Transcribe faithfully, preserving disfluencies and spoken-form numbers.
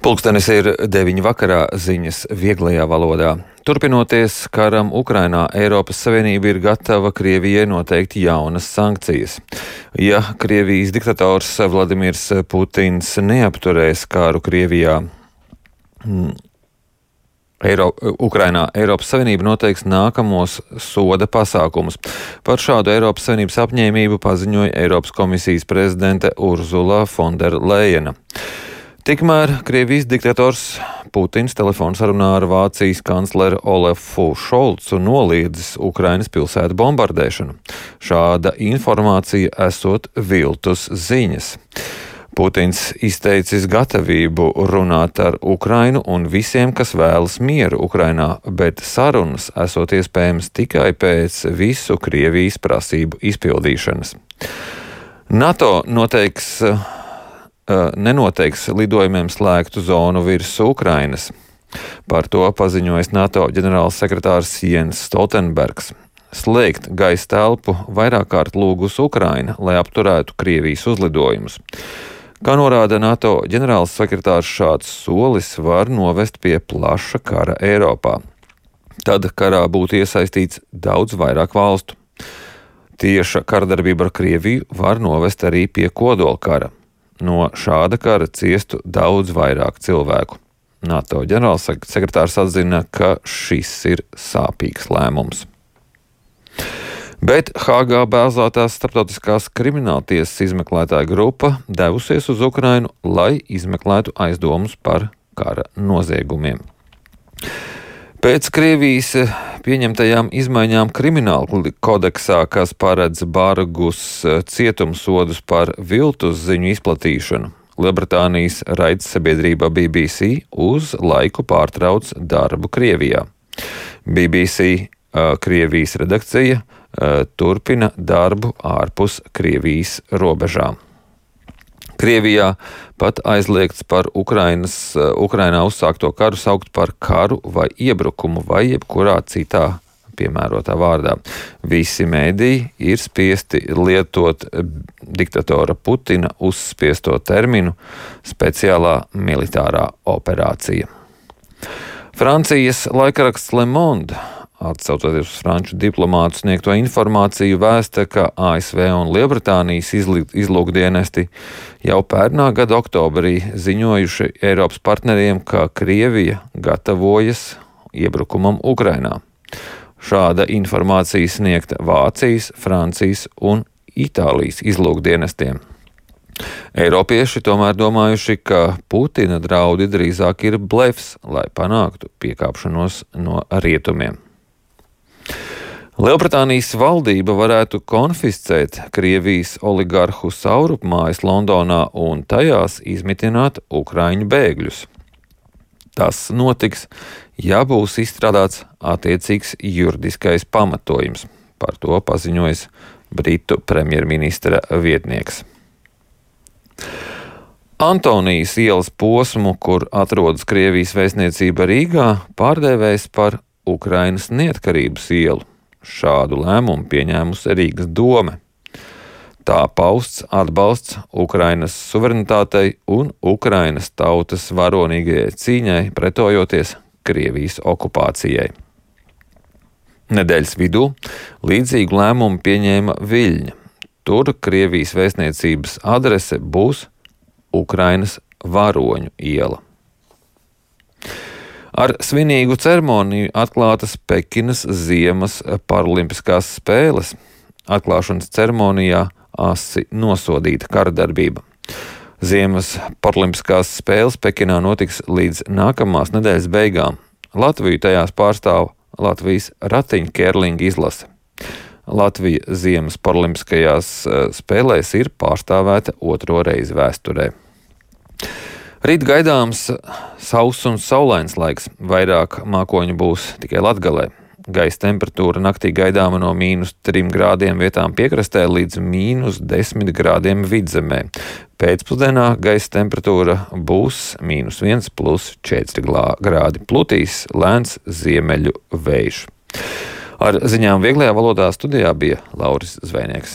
Pulkstenis ir deviņi vakarā, ziņas vieglajā valodā. Turpinoties karam Ukrainā, Eiropas Savienība ir gatava Krievijai noteikt jaunas sankcijas. Ja Krievijas diktators Vladimirs Putins neapturēs karu Krievijā, Eiro, Ukrainā, Eiropas Savienība noteiks nākamos soda pasākumus. Par šādu Eiropas Savienības apņēmību paziņoja Eiropas komisijas prezidente Urzula Fonderlejena. Tikmēr Krievijas diktators Putins telefonsarunā ar Vācijas kancleru Olefu Šolcu noliedzis Ukrainas pilsētu bombardēšanu. Šāda informācija esot viltus ziņas. Putins izteicis gatavību runāt ar Ukrainu un visiem, kas vēlas mieru Ukrainā, bet sarunas esot iespējams tikai pēc visu Krievijas prasību izpildīšanas. NATO noteiks nenoteiks lidojumiem slēgtu zonu virs Ukrainas. Par to paziņojis NATO ģenerāls sekretārs Jens Stoltenbergs. Slēgt gaisa telpu vairāk kārt lūgus Ukraina, lai apturētu Krievijas uzlidojumus. Kā norāda NATO ģenerāls sekretārs, šāds solis var novest pie plaša kara Eiropā. Tad karā būtu iesaistīts daudz vairāk valstu. Tieša kardarbība ar Krieviju var novest arī pie kodolkara. No šāda kara ciestu daudz vairāk cilvēku. NATO ģenerālsekretārs atzina, ka šis ir sāpīgs lēmums. Bet Hāgā bāzētās starptautiskās krimināltiesas izmeklētāja grupa devusies uz Ukrainu, lai izmeklētu aizdomus par kara noziegumiem. Pēc Krievijas pieņemtajām izmaiņām krimināla kodeksā, kas paredz bargus cietumsodus par viltus ziņu izplatīšanu, Lielbritānijas raidsabiedrība B B C uz laiku pārtrauc darbu Krievijā. B B C Krievijas redakcija turpina darbu ārpus Krievijas robežām. Krievijā pat aizliegts par Ukrainas, Ukrainā uzsākto karu saukt par karu vai iebrukumu vai jebkurā citā piemērotā vārdā. Visi mēdīji ir spiesti lietot diktatora Putina uzspiesto terminu speciālā militārā operācija. Francijas laikraksts Le Monde, atsaucoties uz franču diplomātu sniegto informāciju, vēsta, ka A S V un Lielbritānijas izlūkdienesti jau pērnā gada oktobrī ziņojuši Eiropas partneriem, ka Krievija gatavojas iebrukumam Ukrainā. Šāda informācija sniegta Vācijas, Francijas un Itālijas izlūkdienestiem. Eiropieši tomēr domājuši, ka Putina draudi drīzāk ir blefs, lai panāktu piekāpšanos no rietumiem. Lielbritānijas valdība varētu konfiscēt Krievijas oligarhu saurupmājas Londonā un tajās izmitināt ukraiņu bēgļus. Tas notiks, ja būs izstrādāts attiecīgs juridiskais pamatojums. Par to paziņojis Britu premjerministra vietnieks. Antonijas ielas posmu, kur atrodas Krievijas vēstniecība Rīgā, pārdēvējs par Ukrainas neatkarības ielu. Šādu lēmumu pieņēmusi Rīgas dome. Tā pausts atbalsts Ukrainas suverenitātei un Ukrainas tautas varonīgajai cīņai pretojoties Krievijas okupācijai. Nedēļas vidū līdzīgu lēmumu pieņēma Viļņa. Tur Krievijas vēstniecības adrese būs Ukrainas varoņu iela. Ar svinīgu ceremoniju atklātas Pekinas ziemas paralimpiskās spēles. Atklāšanas ceremonijā asi nosodīta karadarbība. Ziemas paralimpiskās spēles Pekinā notiks līdz nākamās nedēļas beigām. Latviju tajās pārstāv Latvijas ratiņkērlinga izlase. Latvija ziemas paralimpiskajās spēlēs ir pārstāvēta otro reizi vēsturē. Rīt gaidāms sauss un saulains laiks, vairāk mākoņu būs tikai Latgalē. Gaisa temperatūra naktī gaidāma no mīnus trim grādiem vietām piekrastē līdz mīnus desmit grādiem vidzemē. Pēcpusdienā gaisa temperatūra būs mīnus viens plus četri grādi. Plutīs lēns ziemeļu vējš. Ar ziņām vieglajā valodā studijā bija Lauris Zvejnieks.